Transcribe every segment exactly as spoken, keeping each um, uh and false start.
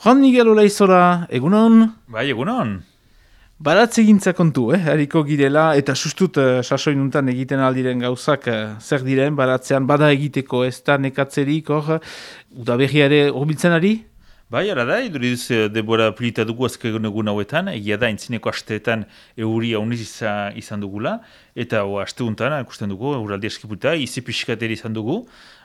Juan Miguel Olaizora, egunon? Bai, egunon. Baratze gintza kontu, eh? Hariko girela, eta sustut uh, sasoinuntan egiten aldiren gauzak uh, zer diren, baratzean bada egiteko ez da nekatzerik, hor, udaberriare horbiltzen ari? Bai, ara da, iduriz debora pilita dugu azken egun hauetan, egia da, entzineko asteetan euri hauniz izan, izan dugula, eta o, asteuntan, ikusten dugu, euraldi eskiputa, izi pixkateri izan dugu,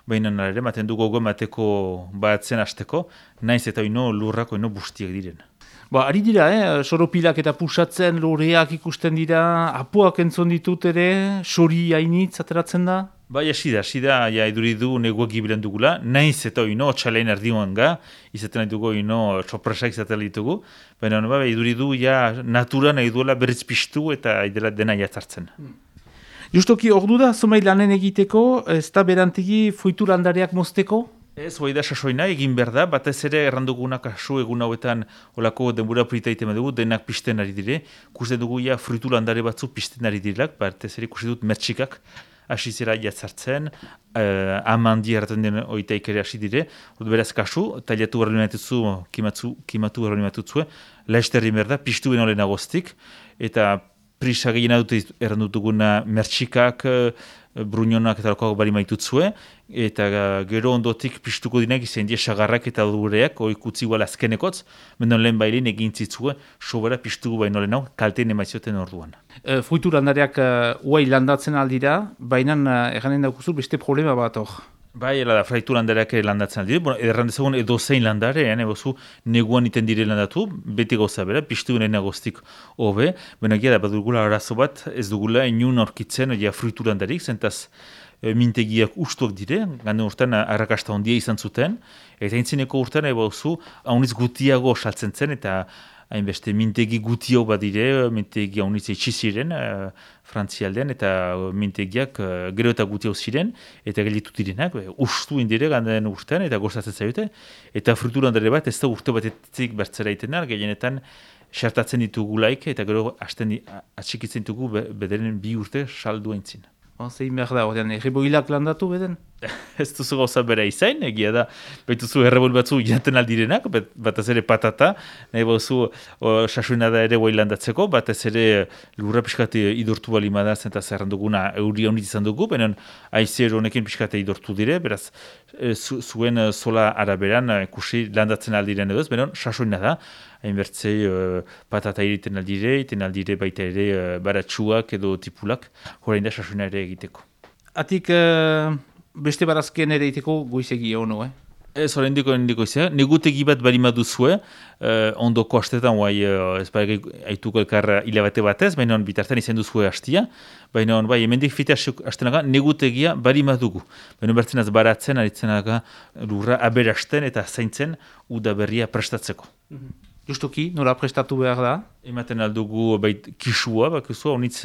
baina ere, maten dugu gogo mateko batzen asteko, naiz eta ino lurrako ino bustiak diren. Ba, ari dira, eh? Soropilak eta pusatzen, loreak ikusten dira, apuak entzon ditut ere, sori hainitz ateratzen da? Bai, hasi da, hasi da, ja, iduridu neguak gibilen dugula, naiz eta ino txalein erdioan ga, izaten nahi dugu ino txopresak izaten ditugu, baina bai, iduridu ja natura nahi duela berriz piztu eta idela dena jatzartzen. Hmm. Justoki ordu da, zomai lanen egiteko, ez da berantegi fruitu landareak mozteko? Ez, hoi da sasoina egin behar da, batez ere errandugunak kasu egun hauetan olako denbora prita itemen dugu, denak pisten ari dire, kusten dugu ja fruitu landare batzu pisten ari dirilak, batez ere kusten dut mertxikak, hasi zera jatzartzen, uh, amandi erraten den oitaik ere hasi dire, beraz kasu, tailatu berri matutzu, kimatu, kimatu berri matutzue, laizterri merda, pistu beno lehen agostik, eta prisa gehiena dute errandutuguna mertxikak, uh, bruñonak eta lokoak bari maitutzue, eta uh, gero ondotik pistuko dinak izan die sagarrak eta dureak, oikutzi guala azkenekotz, mendon lehen bailin egin zitzue, sobera pistuko baino lehen hau, kalteen emaizioten orduan. E, fruitu landareak uh, uai landatzen aldira, baina uh, erranen daukuzu beste problema bat hor. Bai, ela da, fraitu landareak landatzen aldire, bueno, erran dezagun edo zein landare, eh, bozu, neguan iten dire landatu, beti gauza bera, pistu nena goztik hobe, baina gira da, bat dugula arazo bat, ez dugula inun aurkitzen, ja, fruitu landarik, zentaz e, mintegiak ustuak dire, gande urtean arrakasta ondia izan zuten, eta intzineko urtean, eba oso, hauniz gutiago saltzen zen, eta hainbeste mintegi gutio bat dire, mintegi hauniz etxiziren, uh, frantzialdean, eta mintegiak uh, gero eta gutio ziren, eta gelitu direnak, ustu indire ganden urtean, eta gozatzen zaiote, eta frutulandare bat ez da urte batetik bertzera iten da, gehienetan xartatzen ditugulaik, eta gero hasten atxikitzen ditugu bederen bi urte saldu entzin. Zein behar da, ordean, erreboilak landatu beden? Ez duzu gauza bera izain, egia da, baituzu errebol batzu jaten aldirenak, batez ere patata, nahi bauzu sasuena da ere guai landatzeko, batez ere lurra pixkate idortu bali madaz, eta zerran duguna euri honit izan dugu, benen aizer honekin pixkate idortu dire, beraz, zu, zuen sola araberan ikusi landatzen aldiren edo ez, benen sasuena da, hainbertzei uh, patata iriten aldire, iten aldire baita ere uh, baratsuak edo tipulak, horrein da sasuena ere egiteko. Atik uh, beste barazkien ere egiteko goizegi ono, eh? Ez, horrein diko, horrein diko izan. Negutegi bat bari maduzue, uh, ondoko hastetan, guai, uh, ez bai haituko elkar hilabete batez, baina bitartan izan duzue hastia, baina bai, hemendik fite hastenaga, negutegia bari madugu. Baina bertzen az baratzen, aritzenaga lurra aberasten eta zaintzen udaberria prestatzeko. Mm-hmm. Justoki, nola prestatu behar da? Ematen aldugu bait kisua, bakizu, haunitz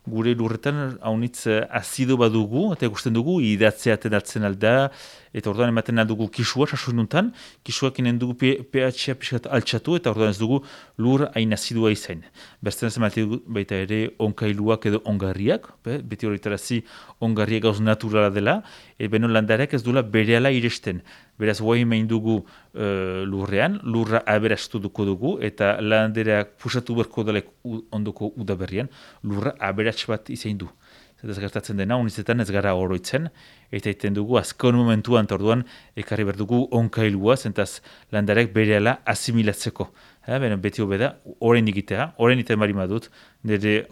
gure lurretan, haunitz azido badugu, eta ikusten dugu, idatzea atenatzen alda, eta orduan ematen aldugu kisua, sasununtan, kisuak inen dugu pH-a pixkat altxatu, eta orduan ez dugu lur hain azidua izain. Bertzen ez ematen baita ere onkailuak edo ongarriak, be, beti horretarazi ongarriak gauz naturala dela, e beno landareak ez duela berehala iresten. Beraz, guai main dugu uh, lurrean, lurra aberastu duko dugu, eta landareak pusatu berko dalek ondoko udaberrian, lurra aberats bat izain du. Zetaz gertatzen dena, unizetan ez gara oroitzen, eta iten dugu azkon momentuan, eta orduan, ekarri behar dugu onkailua, zentaz landareak berehala asimilatzeko. Ha, benen, beti hobeda, orain egitea, orain iten bari madut, nire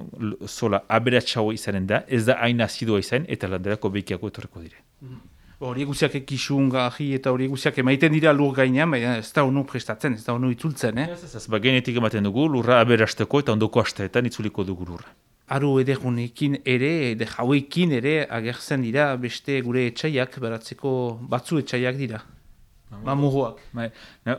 sola aberatsago izanen da, ez da hain azidoa izan, eta landareako behikiako etorreko dire. Mm. Hori guziak ekisun gaji eta hori guziak emaiten dira lur gainean, baina ez da onu prestatzen, ez da onu itzultzen, eh? Ez, ez, ez, ba, genetik ematen dugu, lurra aberasteko eta ondoko asteetan itzuliko dugu lurra. Aru edergunekin ere, eder hauekin ere agertzen dira beste gure etxaiak, baratzeko batzu etxaiak dira. Mamuruak. Bai,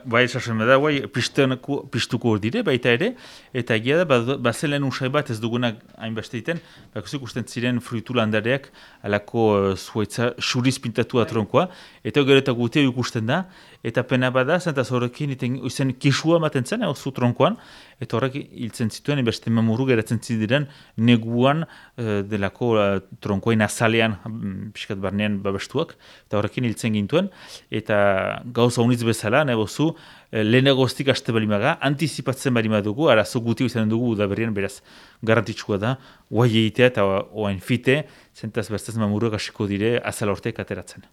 bai esasen da, bai, pistuko hor dire, baita ere, eta egia da, bazelen usai bat ez dugunak hainbeste iten, bakusik usten ziren fruitu landareak alako uh, zuaitza xuriz pintatua tronkoa, eta gero eta gutea ikusten da, eta pena bada, zentaz horrekin izen kisua maten zen, hau zu tronkoan, eta horrek hiltzen zituen, beste mamuru geratzen ziren neguan uh, delako uh, tronkoen azalean, um, piskat barnean babestuak, eta horrekin hiltzen gintuen, eta gauza unitz bezala, nahi bozu, lehenagoztik aste balimaga, antizipatzen balimadugu, arazo guti izan dugu udaberrian, beraz, garantitxua da, guai egitea eta oain fite, zentaz bertaz mamuruak hasiko dire azala orteek ateratzen.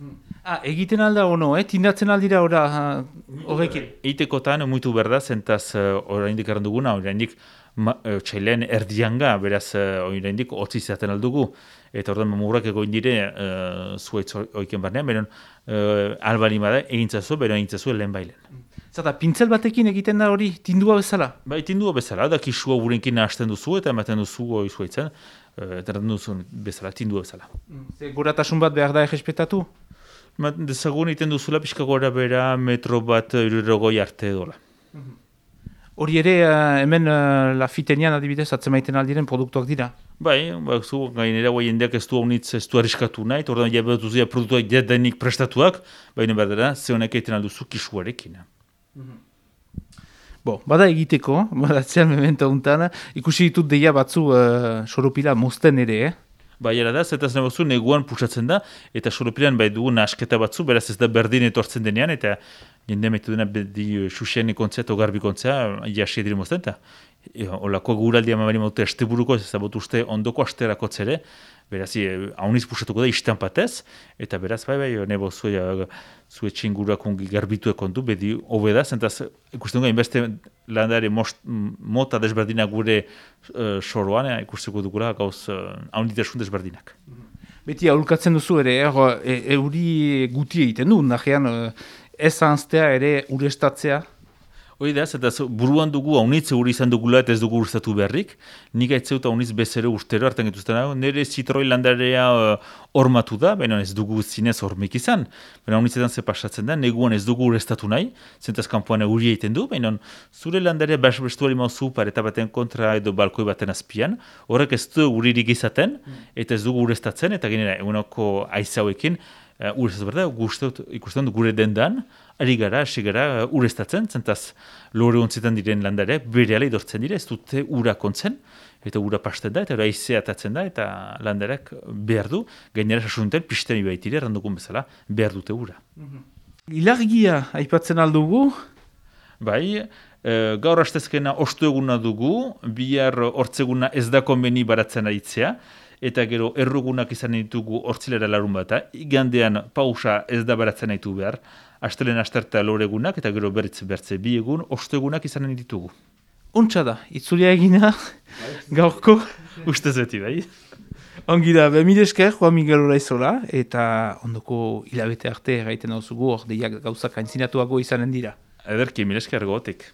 Ah, egiten alda ono, eh? Tindatzen aldira ora horrekin? Eitekotan, muitu berda, zentaz oraindik erran duguna, oraindik txailean erdianga, beraz, oraindik hotzi izaten aldugu, eta ordan mamurak egoin dire uh, zuaitz oiken barnean, beron uh, albalima da, egintzazu, beron egintzazu lehen bailen. Zata, pintzel batekin egiten da hori tindua bezala? Bai, tindua bezala, da kisua urenkin hasten duzu eta ematen duzu hori zuaitzen, eta uh, duzu bezala, tindua bezala. Ze guratasun bat behar da errespetatu? Dezagun egiten duzula pixka gora bera metro bat irurogoi arte dola. Hori ere, uh, hemen uh, lafitenian adibidez, atzemaiten aldiren produktuak dira? Bai, bak zu, gainera guai jendeak ez du haunitz ez du arriskatu nahi, eta ordan jabatu zuzia produktuak denik prestatuak, baina berdera, ze honek egiten alduzu kisuarekin. Bo, bada egiteko, badatzean memento untan, ikusi ditut deia batzu uh, soropila mozten ere, eh? Bai, era da, zetaz nabazu, neguan pusatzen da, eta soropilan bai dugu nasketa batzu, beraz ez da berdin etortzen denean, eta jende metu dena bedi xuxen ikontzea eta garbi ikontzea, jasi edire mozten, eta olako guraldia mamari maute esteburuko, ez da botu uste ondoko asterako tzere, beraz, hauniz pusatuko da istanpatez, eta beraz, bai, bai, nebo zue, zue txingurak ongi garbitu ekondu, bedi hobe da, zentaz, ikusten dugu, inbeste landare most, mota desberdinak gure uh, soroan, ikusteko dugula gauz uh, haunitasun desberdinak. Beti aurkatzen duzu ere, e, euri guti egiten du, nahean ez anztea ere urestatzea. Hoi da, eta buruan dugu haunitz euri izan dugula eta ez dugu urstatu beharrik. Nik aitzeuta haunitz bezero urtero hartan getuzten dago. Nire zitroi landarea hormatu uh, da, baina ez dugu zinez hormik izan. Baina haunitzetan ze pasatzen da, neguan ez dugu urestatu nahi, zentaz kanpoan euri egiten du, baina zure landarea basbestuari mauzu pareta baten kontra edo balkoi baten azpian, horrek ez du uririk izaten, eta ez dugu urestatzen, eta genera eguneko aizauekin, Uh, urestatu berda, ikusten du gure dendan, ari gara, hasi gara uh, urestatzen, zentaz lore ontzitan diren landare, bere ala idortzen dire, ez dute ura kontzen, eta ura pasten da, eta ura aizea atatzen da, eta landareak behar du, gainera sasunten, pisteni baitire, errandukun bezala, behar dute ura. Ilargia aipatzen aldugu? Bai, uh, gaur hastezkena ostu eguna dugu, bihar hortzeguna ez da konbeni baratzen aitzea, eta gero errugunak izan ditugu hortzilera larun bata, igandean pausa ez da baratzen ditu behar, astelen asterta loregunak, eta gero bertze bertze bi egun, ostegunak izan ditugu. Untsa da, itzulia egina, gaurko? Ustez beti, bai? Ongi da, mil esker, Juan Miguel Olaizola, eta ondoko hilabete arte gaiten dauzugu, hor deiak gauzak aintzinatuago izanen dira. Ederki, mil esker gotik.